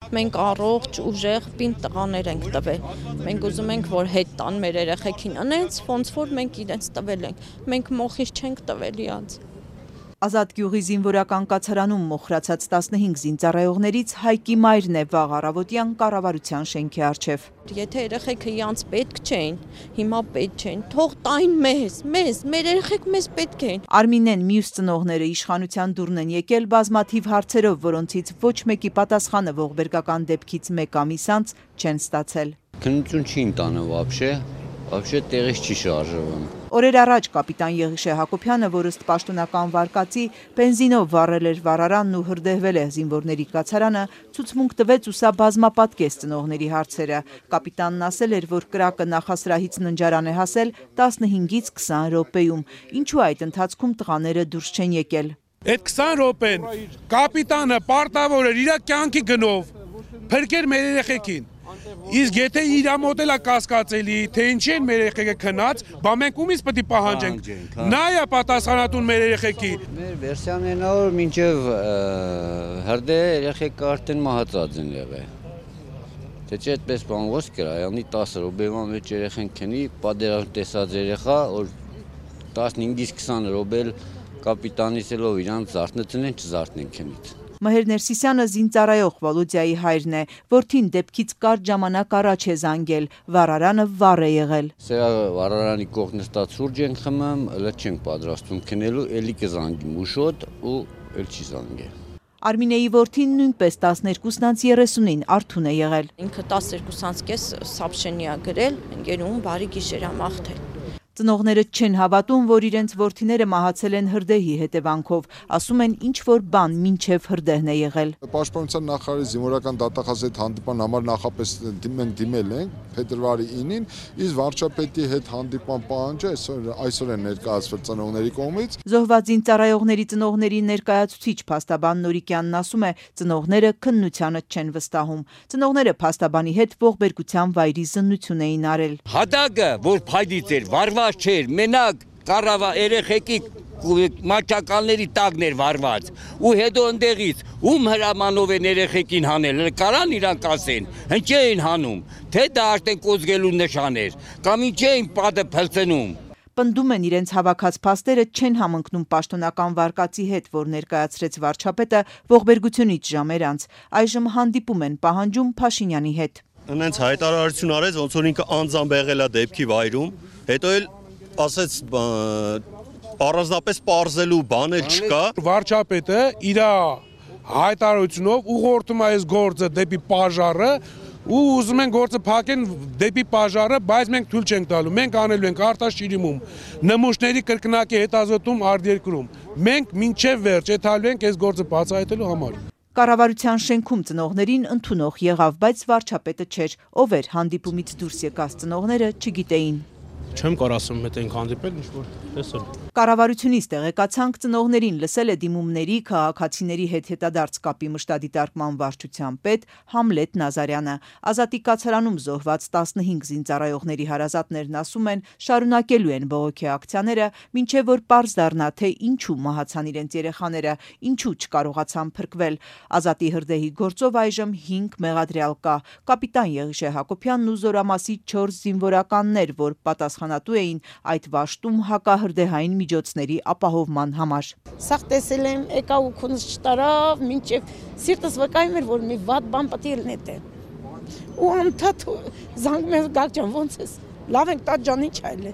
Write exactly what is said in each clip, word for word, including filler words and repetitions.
Մենք առողջ, ուժեղ, պինդ տղաներ ենք տվել։ Մենք ուզում ենք, որ հետ տան մեր երեխեքին, անենց ոնց որ մենք իրենց տվել ենք։ Մենք մոխիր չենք տվել իրանց։ Ազատ գյուղի զինվորական կացարանում մոխրացած տասնհինգ զինծառայողներից Հայկի մայրն է վաղ առավոտյան կառավարության շենքի առջև։ Եթե երեխեքը իրանց պետք չէին, հիմա պետք չեն, թող տային մեզ, մեզ, մեր երեխեք մեզ պետք են։ Արմինեն մյուս ծնողները իշխանության դուրն են եկել բազմաթիվ հարցերով, որոնցից ոչ մեկի պատասխանը ողբերգական դեպքից մեկ ամիս անց չեն ստացել։ Քննություն չի ընտանը вообще, вообще տեղից չի շարժվում։ Օրեր առաջ կապիտան Եղիշե Հակոբյանը, որ ըստ պաշտոնական վարկածի բենզինով վառել էր վառարանն ու հրդեհվել է զինվորների կացարանը, ցուցմունք տվեց ու սա բազմապատկեց ծնողների հարցերը։ Կապիտանն ասել էր, որ կրակը նախասրահից ննջարան է հասել տասնհինգից քսան րոպեում, ինչու այդ ընթացքում տղաները դուրս չեն եկել։ Այդ քսան րոպեն կապիտանը պարտավոր էր իր կյանքի գնով փրկել մեր երեխեքին։ Իսկ եթե իր մոտ էլ է կասկածելի, թե ինչի են մեր երեխեքը քնած, բա մենք ումից պետք է պահանջենք։ Նա է պատասխանատուն մեր երեխեքի։ Մեր վերսիան է նա որ մինչև հրդեհ երեխեքը արդեն մահացած են եղել։ Թե չէ այդպես բան ոնց կրայանի տասը րոպեվա մեջ երեխեն քնի, պատերազմ տեսած երեխա, որ տասնհինգից քսան րոպե կապիտանից ելով իրանց զարթնեցին են, չզարթնեն քնից։ Մհեր Ներսիսյանը զինծառայող Վալոդիայի հայրն է, որդին դեպքից կարճ ժամանակ առաջ է զանգել, վառարանը վառ է եղել։ Սրա վառարանի կողք նստած սուրճ ենք խմում, էլ չենք պատրաստվում քնելու, էլի կզանգի մուշոտ ու էլ չի զանգել։ Արմինեի որդին նույնպես տասներկուսն անց երեսունին արթուն է եղել։ Ինքը տասներկուս անց կես սաբշենի է գրել, ընկերուհուն բարի գիշեր ամաղթել։ Ծնողները չեն հավատում, որ իրենց որդիները մահացել են հրդեհի հետևանքով, ասում են ինչ որ բան մինչև հրդեհն է եղել։ Պաշտպանության նախարարի զինվորական դատախազի հետ հանդիպման համար նախապես մենք դիմել ենք փետրվարի ինին, իսկ վարչապետի հետ հանդիպման պահանջը այսօր այսօր է ներկայացվել ծնողների կողմից։ Զոհված զինծառայողների ծնողների ներկայացուցիչ փաստաբան Նորիկյանն ասում է, ծնողները քննությանը չեն վստահում։ Ծնողները փաստաբանի հետ ողբերգության վայրի զննություն էին արել։ Հադագը, որ փայդից էր, վարված չէր, մենակ կարավա երեխեքի մաչակալների տակն էր վարված ու հետո ընդեղից ում հրամանով են երեխեքին հանել, կարան իրանք ասեն, հնչ էին հանում, թե դա արդեն կոզգելու նշան էր, կամ ինչ էին պատը փլցնում։ Պնդում են իրենց հավաքած փաստերը չեն համընկնում պաշտոնական վարկածի հետ, որ ներկայացրեց վարչապետը ողբերգությունից ժամեր անց, այժմ հանդիպում են պահանջում Փաշինյանի հետ։ Նենց հայտարարություն արեց, ոնց որ ինքը անձամբ եղել է դեպքի վայրում, հետո էլ ասեց առանձնապես պարզելու բան էլ չկա։ Վարչապետը իր հայտարարությունով ուղղորդում է այս գործը դեպի պաժարը ու ուզում են գործը փակեն դեպի պաժարը, բայց մենք թույլ չենք տալու։ Մենք անելու ենք արտաշիրիմում, նմուշների կրկնակի հետազոտում արտերկրում։ Մենք մինչև վերջ եթալու ենք այս գործը բացահայտելու համար։ Կառավարության շենքում ծնողներին ընդունող եղավ, բայց վարչապետը չէր, ով էր հանդիպումից դուրս եկած ծնողները չգիտեին։ Չեմ կարող ասում, հետ ենք հանդիպել, ինչ որ տեսել։ Կառավարությունից տեղեկացանք ծնողներին լսել է դիմումների քաղաքացիների հետ հետադարձ կապի մշտադիտարկման վարչության պետ Համլետ Նազարյանը։ Ազատի կացարանում զոհված տասնհինգ զինծառայողների հարազատներն ասում են, շարունակելու են բողոքի ակցիաները, մինչև որ պարզ դառնա, թե ինչու մահացան իրենց երեխաները, ինչու չկարողացան փրկվել։ Ազատի հրդեհի գործով այժմ հինգ մեղադրյալ կա։ Կապիտան Եղիշե Հակոբյանն ու Զորամասի չորս զինվորականներ, որ պատասխանատու էին այդ վաշտում հակահրդեհային միջոցների ապահովման համար։ Սաղ տեսել եմ, եկա ու քունս չտարավ, մինչև սիրտս վկայում էր, որ մի վատ բան պետք է լինի։ Ու անդադ զանգում եմ Գագ ջան, ոնց ես։ Լավ ենք, տատ ջան, ինչ այլ է։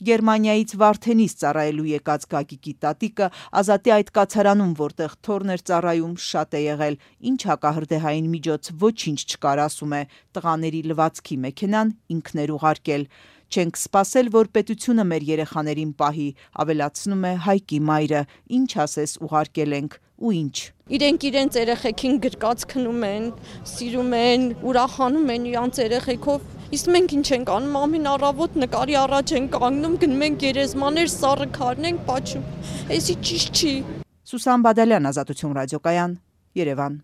Գերմանիայից Վարդենից ծառայելու եկած Գագիկի տատիկը Ազատի այդ կացարանում, որտեղ թորն էր ծառայում, շատ է եղել, ինչ հակահրդեհային միջոց ոչինչ չկար, ասում է, տղաների լվացքի մեքենան ինքն էր ուղարկել։ Չենք սպասել, որ պետությունը մեր երեխաներին պահի, ավելացնում է Հայկի մայրը, ինչ ասես ուղարկել ենք ու ինչ։ Իրենք իրենց երեխեքին գրկած քնում են, սիրում են, ուրախանում են իրանց երեխեքով, իսկ մենք ինչ ենք անում, ամեն առավոտ նկարի առաջ ենք կանգնում, գնում ենք գերեզմաներ, սառը քարն ենք պատշում, էսի ճիշտ չի։ Սուսան Բադալյան, Ազատություն ռադիոկայան, Երևան։